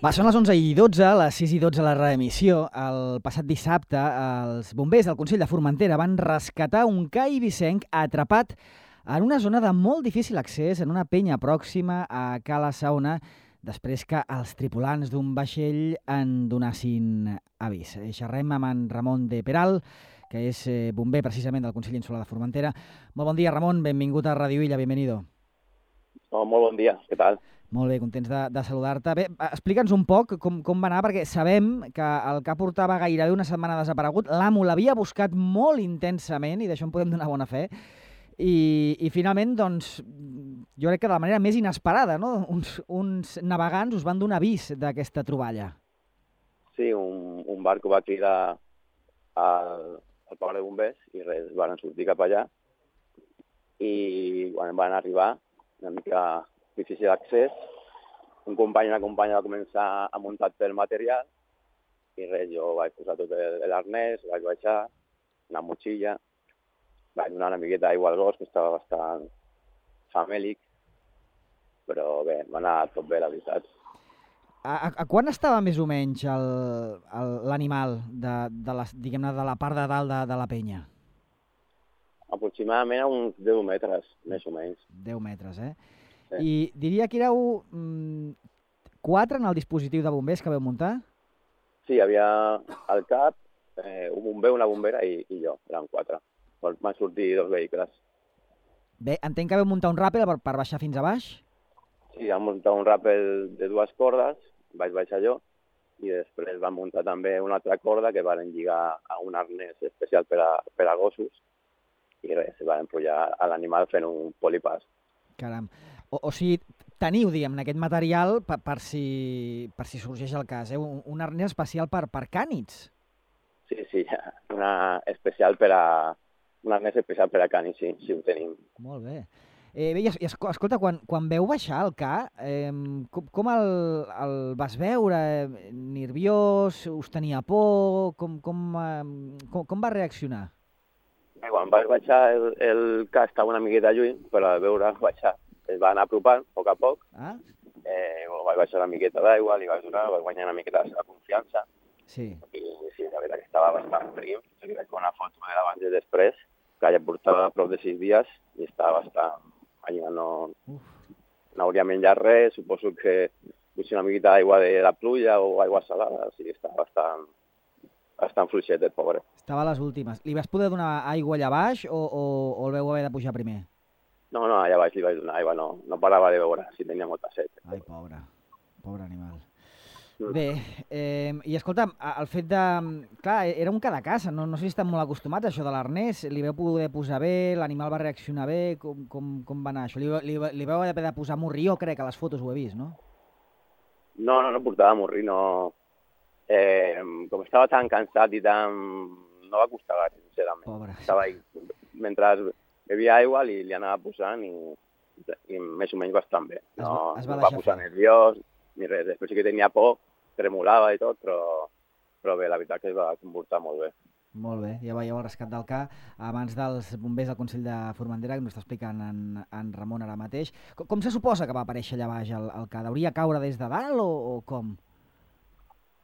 Va, són les 11:12, les 6:12 la reemissió. El passat dissabte, els bombers del Consell de Formentera van rescatar un cai vicenc atrapat en una zona de molt difícil accés, en una penya pròxima a Cala Saona, després que els tripulants d'un vaixell en donessin avís. Xerrem amb en Ramon de Peral, que és bomber precisament del Consell Insular de Formentera. Molt bon dia, Ramon, benvingut a Radio Illa, bienvenido. Oh, molt bon dia, què tal? Molt bé, contents de saludar-te. Bé, explica'ns un poc com va anar, perquè sabem que el que portava gairebé una setmana desaparegut, l'amo l'havia buscat molt intensament, i d'això en podem donar bona fe, i finalment, doncs, jo crec que de la manera més inesperada, no? Uns navegants us van donar avís d'aquesta troballa. Sí, un barco va cridar al parc de bombers i res, van sortir cap allà i quan van arribar, una mica difícil d'accés, un company i una companya va començar a muntar tot el material i res, jo vaig posar tot l'arnès, vaig baixar, una motxilla, vaig donar una miqueta d'aigua al gos, que estava bastant famèlic, però bé, va anar tot bé, la veritat. A quan estava més o menys l'animal diguem-ne, de la part de dalt de la penya? Aproximadament a uns 10 metres, més o menys. 10 metres, eh? Sí. I diria que éreu 4 en el dispositiu de bombers que vau muntar? Sí, hi havia al cap, un bomber, una bombera i jo, eren 4. Van sortir 2 vehicles. Bé, entenc que vau muntar un ràpel per baixar fins a baix? Sí, vam muntar un ràpel de 2 cordes, vaig baixar jo, i després vam muntar també una altra corda que van lligar a un arnès especial per a gossos, i res, van pujar a l'animal fent un polipàs. Caram. O sigui, teniu, diguem, aquest material per si sorgeix el cas, eh? Un arnès especial per cànids. Sí, un arnès especial per a cànids, sí, ho tenim. Molt bé. Bé, i escolta, quan veu baixar el ca, com el vas veure? Nerviós? Us tenia por? Com va reaccionar? Bé, quan vaig baixar, el ca estava una miqueta lluny, però al veure baixar es va anar apropant a poc a poc. Vaig baixar una miqueta d'aigua, li vaig donar, vaig guanyar una miqueta la seva confiança. Sí. I sí, la veritat que estava bastant prim. Jo li vaig fer una foto de l'abans i després, que ja portava prop de 6 dies i estava bastant... Allà no hauria menjat res, suposo que potser una miqueta d'aigua de la pluja o aigua salada, o sigui, estava bastant fluixet, el pobre. Estava a les últimes. Li vas poder donar aigua allà baix o el vau haver de pujar primer? No, allà baix li vaig donar aigua, no parava de beure, si tenia molta set. Ai, pobre animal. Bé, i escolta'm, el fet de... Clar, era un ca de casa, no sé si estan molt acostumats a això de l'arnès, li vau poder posar bé, l'animal va reaccionar bé, com va anar això? Li vau haver de posar morrió, crec, a les fotos ho he vist, no? No portava morri, no... com estava tan cansat i tan... no va costar gaire, sincerament. Pobre. Estava ahí, mentre bevia aigua li anava posant i més o menys bastant bé. No va posar nerviós ni res. Després sí que tenia por, tremolava i tot, però bé, la veritat que es va comportar molt bé. Molt bé, ja veieu el rescat del ca abans dels bombers del Consell de Formentera, que ens està explicant en Ramon ara mateix. Com se suposa que va aparèixer allà baix el ca? Hauria caure des de dalt o com?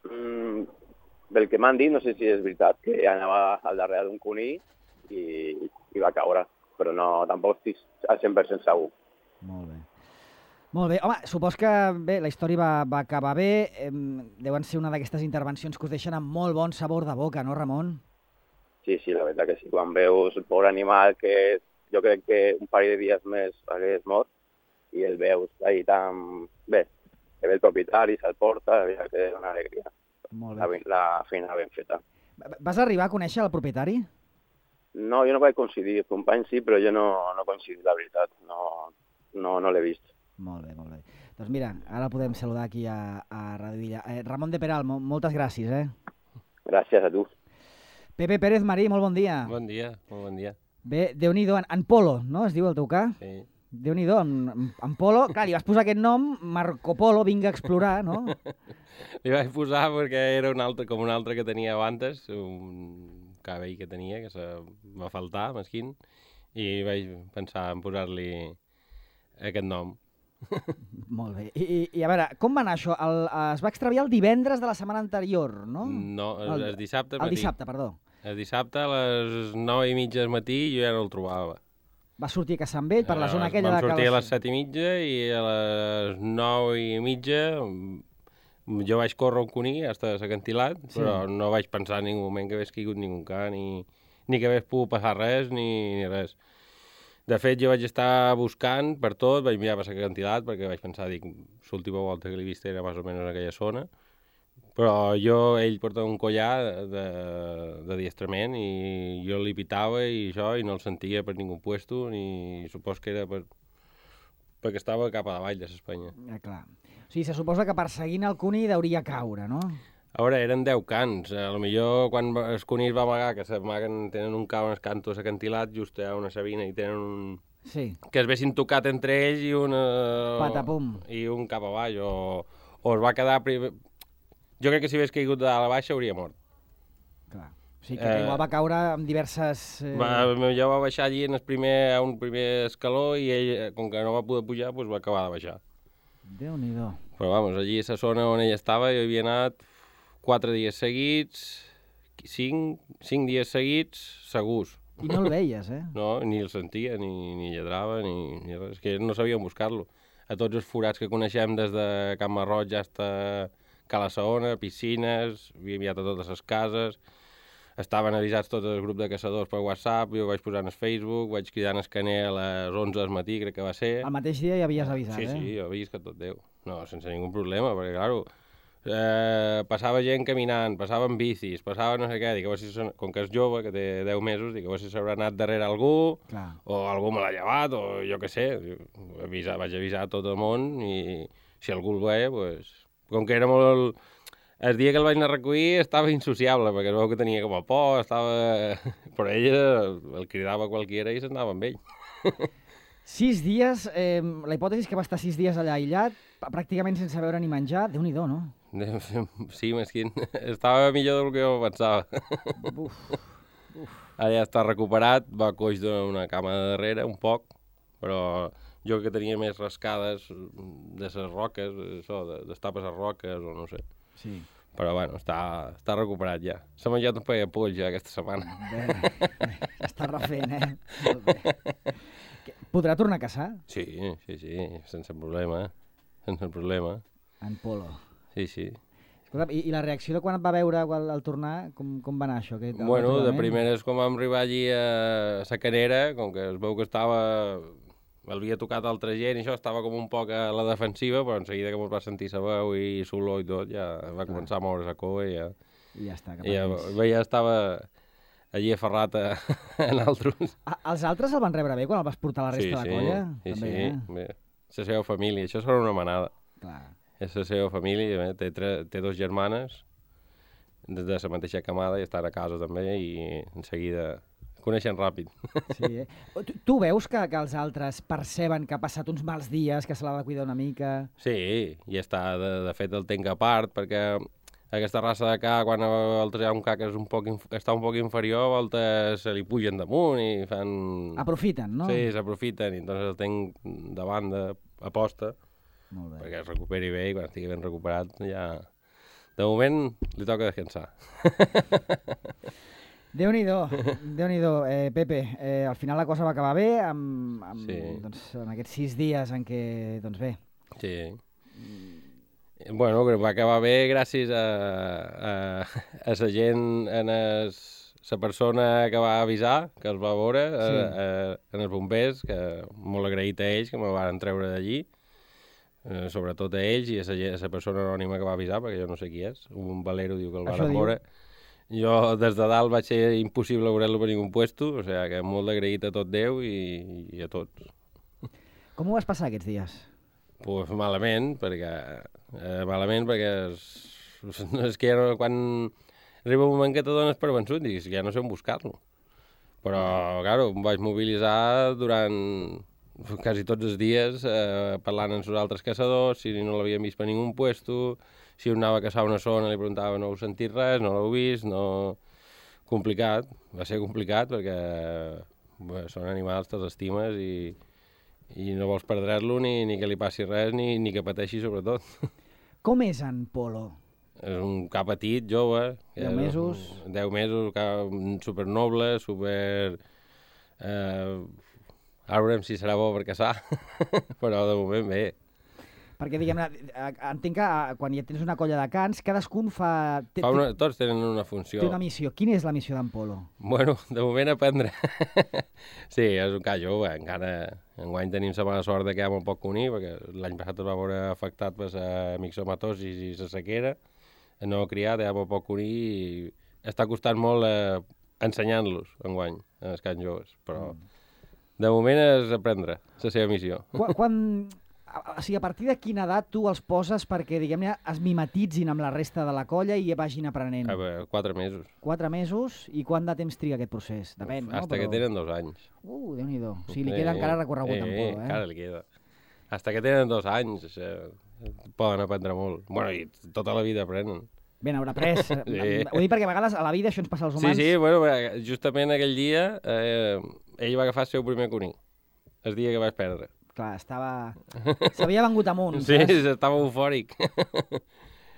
Pel que m'han dit, no sé si és veritat, que anava al darrere d'un conill i va caure, però no, tampoc estic al 100% segur. Molt bé. Molt bé. Home, supos que bé, la història va acabar bé. Deuen ser una d'aquestes intervencions que us deixen amb molt bon sabor de boca, no, Ramon? Sí, la veritat que sí. Quan veus el pobre animal, que jo crec que un parell de dies més hagués mort, i el veus ahí tan bé, que ve el propietari, se'l porta, la veritat que és una alegria. Molt bé. La feina ben feta. Vas arribar a conèixer el propietari? No, jo no vaig coincidir. El company sí, però jo no coincidir, la veritat. No l'he vist. Molt bé. Doncs mira, ara podem saludar aquí a Radio Illa. Ramon de Peral, moltes gràcies, Gràcies a tu. Pepe Pérez Marí, molt bon dia. Bon dia, molt bon dia. Bé, Déu-n'hi-do, en Polo, no? Es diu el teu ca? Sí. Déu-n'hi-do, en Polo. Clar, li vas posar aquest nom, Marco Polo, vinga a explorar, no? Li vaig posar perquè era com un altre que tenia abans, un cabell que tenia, que va faltar, mesquin, i vaig pensar en posar-li aquest nom. Molt bé. I a veure, com va anar això? Es va extraviar el divendres de la setmana anterior, no? No, el dissabte al El matí. dissabte, perdó. El dissabte a les 9:30 del matí jo ja no el trobava. Va sortir a caçar amb ell per la zona aquella Vam de sortir a les 7:30 i a les 9:30 jo vaig córrer un cuní hasta l'acantilat, però no vaig pensar en ningú moment que hagués caigut ningú ca, ni que hagués pogut passar res, ni res. De fet, jo vaig estar buscant per tot, vaig mirar per l'acantilat, perquè vaig pensar, l'última volta que l'he vist era més o menys en aquella zona, però ell portava un collar d'adiestrament i jo li pitava i això, i no el sentia per ningú puesto, ni supos que era perquè estava cap a davall de l'Espanya. Clar. O sigui, se suposa que perseguint el cuní deuria caure, no? A veure, eren 10 cans. A lo millor quan el cuní es va amagar, que s'amaguen, tenen un cau en el canto acantilat, just a una sabina, i tenen un... Sí. Que es vessin tocat entre ells i un... Patapum. I un cap a baix, o es va quedar... Jo crec que si hagués caigut de la baixa hauria mort. Clar. O sigui, que igual va caure amb diverses... Jo va baixar allí a un primer escaló i ell, com que no va poder pujar, doncs va acabar de baixar. Déu-n'hi-do. Però, vamos, allí a la zona on ell estava, jo havia anat 4 dies seguits, 5 dies seguits, segurs. I no el veies, eh? No, ni el sentia, ni lladrava, ni res. És que no sabíem buscar-lo. A tots els forats que coneixem des de Can Marroig fins a Cala Saona, piscines, havia enviat a totes les cases, estaven avisats tot el grup de caçadors per WhatsApp, jo vaig posar en el Facebook, vaig cridar en el Caner a les 11 del matí, crec que va ser. El mateix dia ja havies avisat, sí, eh? Sí, jo havia que tot Déu. No, sense ningú problema, perquè, claro, passava gent caminant, passaven bicis, passava no sé què, dic, a veure si com que és jove, que té 10 mesos, dic, a veure si s'haurà anat darrere algú, Clar. o algú me l'ha llevat, o jo què sé. Vaig avisar a tot el món i si algú el veia, doncs... Com que era molt... El dia que el vaig anar a recollir estava insociable, perquè es veu que tenia com a por, estava... Però ell el cridava qualquiera i s'anava amb ell. 6 dies, la hipòtesi és que va estar 6 dies allà aïllat, pràcticament sense beure ni menjar, Déu-n'hi-do, no? Sí, mesquin. Estava millor del que jo pensava. Ara ja està recuperat, va coix d'una cama de darrere, un poc, però jo que tenia més rascades de les roques, això, d'estapes a roques o no sé. Sí. Però bueno, està recuperat ja. S'ha menjat un paio de poll ja aquesta setmana. Bé, està refent, eh? Molt bé. Podrà tornar a caçar? Sí, sense problema, sense problema. En Polo. Sí. Escolta, i la reacció de quan et va veure al tornar, com va anar això? Bueno, de primeres, com vam arribar allí a la Canera, com que es veu que havia tocat altra gent i això, estava com un poc a la defensiva, però en seguida que ens va sentir sa veu i l'olor i tot, ja va començar a moure la cua i ja... I ja està, cap ja estava allí aferrat a altres. Els altres el van rebre bé quan el vas portar a la resta de la colla? Sí, també, bé. La seva família, això serà una manada. Clar. És la seva família, té 2 germanes, des de la mateixa camada, i estan a casa també, i en seguida coneixen ràpid. Sí, Tu veus que els altres perceben que ha passat uns mals dies, que se l'ha de cuidar una mica? Sí, i està, de fet, el tenc a part, perquè aquesta raça de ca, quan hi ha un ca que està un poc inferior, a voltes se li pugen damunt i fan... Aprofiten, no? Sí, s'aprofiten, i entonces el tenc de banda, a posta, perquè es recuperi bé, i quan estigui ben recuperat ja... De moment li toca descansar. Déu-n'hi-do, Pepe. Al final la cosa va acabar bé, doncs, en aquests 6 dies en què, doncs bé. Sí. Bueno, va acabar bé gràcies a la gent, a la persona que va avisar, que els va veure, en els bombers, que molt agraït a ells, que me van treure d'allí, sobretot a ells i a la persona anònima que va avisar, perquè jo no sé qui és, un valero diu que el van veure. Jo des de dalt vaig ser impossible veure-lo per ningú puesto, o sigui que molt agraït a tot Déu i a tots. Com ho vas passar aquests dies? Pues malament, perquè és que ja no, quan arriba un moment que te dones per vençut, dius que ja no sé on buscar-lo. Però, claro, em vaig mobilitzar durant quasi tots els dies, parlant amb els altres caçadors, si no l'havien vist per ningú puesto, si un anava a caçar una zona li preguntava no heu sentit res, no l'heu vist, no... Complicat, va ser complicat perquè són animals, te'ls estimes i i no vols perdre-lo ni que li passi res ni que pateixi sobretot. Com és en Polo? És un cap petit, jove. 10 mesos. 10 mesos, supernoble, Ara veurem si serà bo per caçar, però de moment bé. Perquè, diguem-ne, entenc que quan ja tens una colla de cans, cadascun Tots tenen una funció. Té una missió. Quina és la missió d'en Polo? Bueno, de moment aprendre. Sí, és un cas jove. Encara enguany tenim la mala sort de que hi ha molt poc cuní, perquè l'any passat es va veure afectat per la mixomatosis i la sequera. No criat, hi ha molt poc cuní i està costant molt ensenyant-los enguany, als cans joves. Però de moment és aprendre la seva missió. O sigui, a partir de quina edat tu els poses perquè, diguem-ne, es mimetitzin amb la resta de la colla i vagin aprenent? 4 mesos. 4 mesos? I quant de temps triga aquest procés? Depèn, no? Hasta que tenen 2 anys. Déu-n'hi-do. O sigui, li queda encara recorregut en Polo, eh? Encara li queda. Hasta que tenen 2 anys poden aprendre molt. Bueno, i tota la vida aprenen. Ben, haurà après. Sí. Ho dic perquè a vegades a la vida això ens passa als humans. Sí, bueno, justament aquell dia ell va agafar el seu primer cuní, el dia que vaig perdre. Clar, s'havia vengut amunt, sí, saps? Sí, estava eufòric.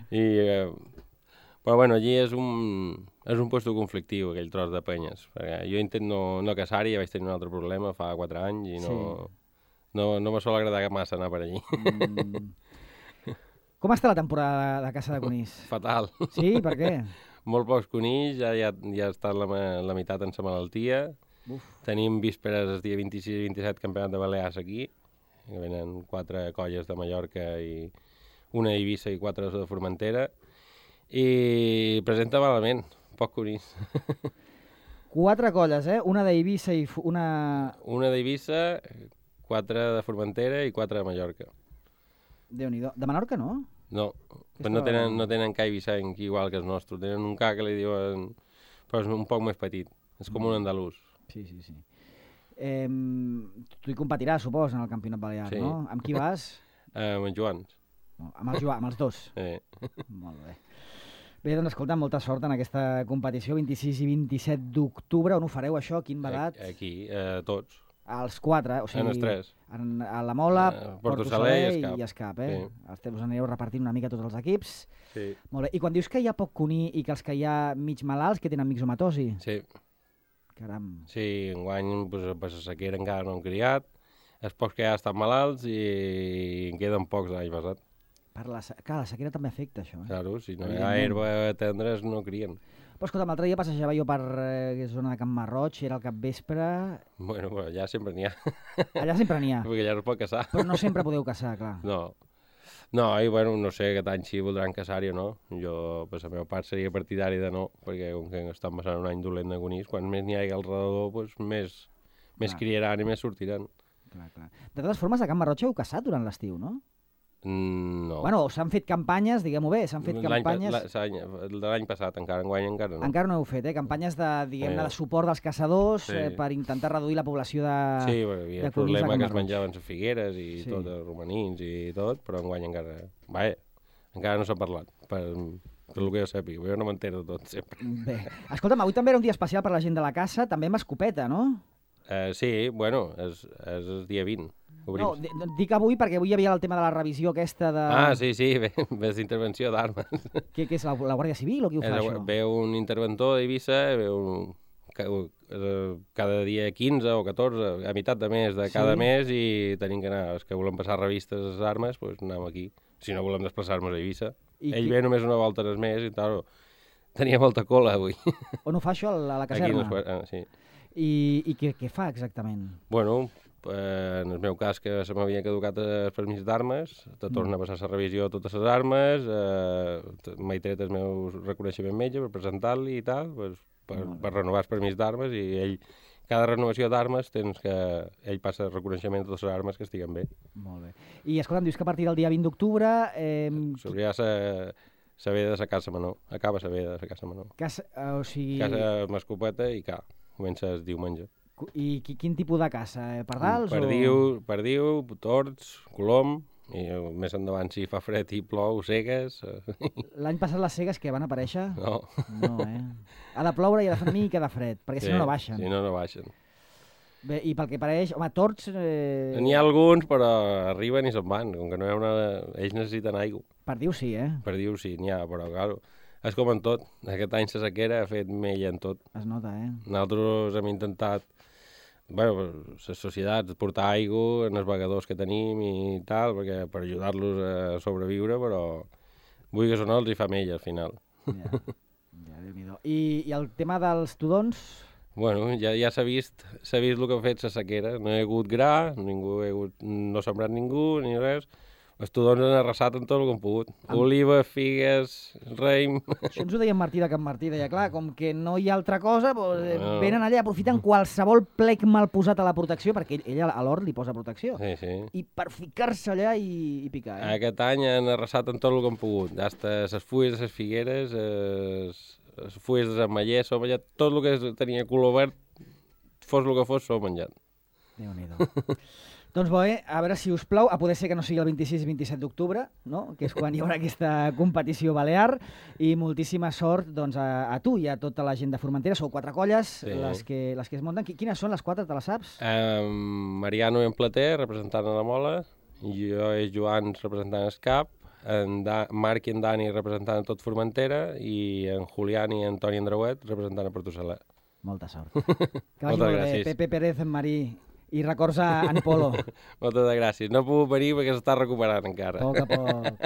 Però bueno, allí és un puesto conflictiu, aquell tros de penyes. Perquè jo intento no caçar-hi, ja vaig tenir un altre problema fa 4 anys i no me sol agradar massa anar per allí. Com està la temporada de caça de conills? Fatal. Sí? Per què? Molt pocs conills, ja està la meitat en sa malaltia. Uf. Tenim vísperes el dia 26 i 27 campionat de Balears aquí, que venen 4 colles de Mallorca i una d'Eivissa i 4 de Formentera, i presenta malament, poc conills. 4 colles, eh? Una d'Eivissa i una... Una d'Eivissa, 4 de Formentera i 4 de Mallorca. Déu-n'hi-do. De Menorca, no? No, però no tenen ca eivissenc igual que els nostres. Tenen un ca que li diuen... però és un poc més petit. És com un andalús. Sí. Tu hi competiràs, supos, en el campionat balear, sí. No? Amb qui vas? Amb en Joan. Amb els dos? Sí. Molt bé. Bé, doncs escolta, molta sort en aquesta competició, 26 i 27 d'octubre. On ho fareu, això? Quin badat? Aquí, tots. Els 4, o sigui... En els 3. A la Mola, Porto Saler i Escap, eh? Sí. Us anireu repartint una mica tots els equips. Sí. Molt bé. I quan dius que hi ha poc cuní i que els que hi ha mig malalts, que tenen mixomatosi? Sí. Caram. Sí, enguany per la sequera encara no han criat, els pocs que ja estan malalts i en queden pocs l'any passat. Clar, la sequera també afecta això. Claro, si no hi ha herba tendres no crien. Però escolta, l'altre dia passejava jo per zona de Can Marroig, era al capvespre... Bueno, però allà sempre n'hi ha. Allà sempre n'hi ha. Perquè allà no es pot caçar. Però no sempre podeu caçar, clar. No, i bueno, no sé aquest any si voldran caçar-hi o no. Jo, per la meva part, seria partidari de no, perquè com que estan passant un any dolent de conills, quan més n'hi hagi al redador, doncs més criaran i més sortiran. Clar. De totes formes, a Can Marroig heu caçat durant l'estiu, no? No. Bueno, s'han fet campanyes, diguem-ho bé, s'han fet campanyes... L'any passat, enguany encara no. Encara no heu fet, campanyes de, diguem-ne, de suport dels caçadors per intentar reduir la població de Sí, perquè hi havia el problema que es menjaven les figueres i tot, els romanins i tot, però enguany encara... encara no s'ha parlat, per el que jo sàpiga, jo no m'entero de tot, sempre. Bé, escolta'm, avui també era un dia especial per la gent de la caça, també amb escopeta, no? Sí, bueno, és el dia 20. No, dic avui perquè avui hi havia el tema de la revisió aquesta de... Sí, ves d'intervenció d'armes. Què és, la Guàrdia Civil o qui ho fa, això? Ve un interventor d'Eivissa, cada dia 15 o 14, a meitat de mes de cada mes, i tenim que anar, els que volem passar revistes a les armes, doncs anem aquí. Si no volem desplaçar-nos a Eivissa. Ell ve només una volta al mes i tal, tenia molta cola avui. On ho fa això, a la caserna? Sí. I què fa exactament? Bueno, en el meu cas, que se m'havia caducat el permís d'armes, te torna a passar la revisió a totes les armes, m'he tret el meu reconeixement metge per presentar-li i tal, per renovar el permís d'armes, i ell, cada renovació d'armes, ell passa el reconeixement de totes les armes que estiguen bé. Molt bé. I escolta'm, dius que a partir del dia 20 d'octubre... S'obrirà la veda de la Caça Menor, acaba la veda de la Caça Menor. O sigui... Caça amb escopeta i comença el diumenge. I quin tipus de caça? Pardals? Perdiu, tords, colom, i més endavant si fa fred i plou, cegues... L'any passat les cegues que van aparèixer? No. No, Ha de ploure i ha de fer una mica de fred, perquè si no, no baixen. Si no, no baixen. Bé, i pel que pareix, home, tords... N'hi ha alguns, però arriben i se'n van, com que no hi ha una... Ells necessiten aigua. Per dir-ho sí, Per dir-ho sí, n'hi ha, però claro, és com en tot. Aquest any la sequera ha fet mella en tot. Es nota, Nosaltres hem intentat, les societats, portar aigua en els vegadors que tenim i tal, perquè per ajudar-los a sobreviure, però vull que no els hi fa mella al final. Ja, Déu-n'hi-do. I el tema dels tudons? Bueno, ja s'ha vist el que ha fet la sequera. No hi ha hagut gra, no ha sembrat ningú, ni res. Els tudons han arrasat en tot el que han pogut. Olives, figues, raïm... Això ens ho deia en Martí de Can Martí, deia, clar, com que no hi ha altra cosa, doncs, venen allà, aprofiten qualsevol plec mal posat a la protecció, perquè ell a l'hort li posa protecció, sí. I per ficar-se allà i picar. Aquest any han arrasat en tot el que han pogut. Hasta les fulles de les figueres, les fulles dels ametllers, s'ho menjat, tot el que tenia color verd, fos el que fos, s'ho menjat. Déu-n'hi-do. Doncs bé, a veure si us plau, a poder ser que no sigui el 26 i 27 d'octubre, no? Que és quan hi haurà aquesta competició balear, i moltíssima sort doncs, a tu i a tota la gent de Formentera. Sou 4 colles, sí. les que es munten. Quines són les 4, te les saps? Mariano en Plater, representant a la Mola, jo i Joan representant el CAP, Marc i en Dani representant a tot Formentera, i en Julián i en Toni Andreuet representant a Portosalà. Molta sort. Que vagi molt bé. Pepe Pérez, en Marí... I records a en Polo. Moltes gràcies. No he pogut venir perquè s'està recuperant encara. A poc a poc.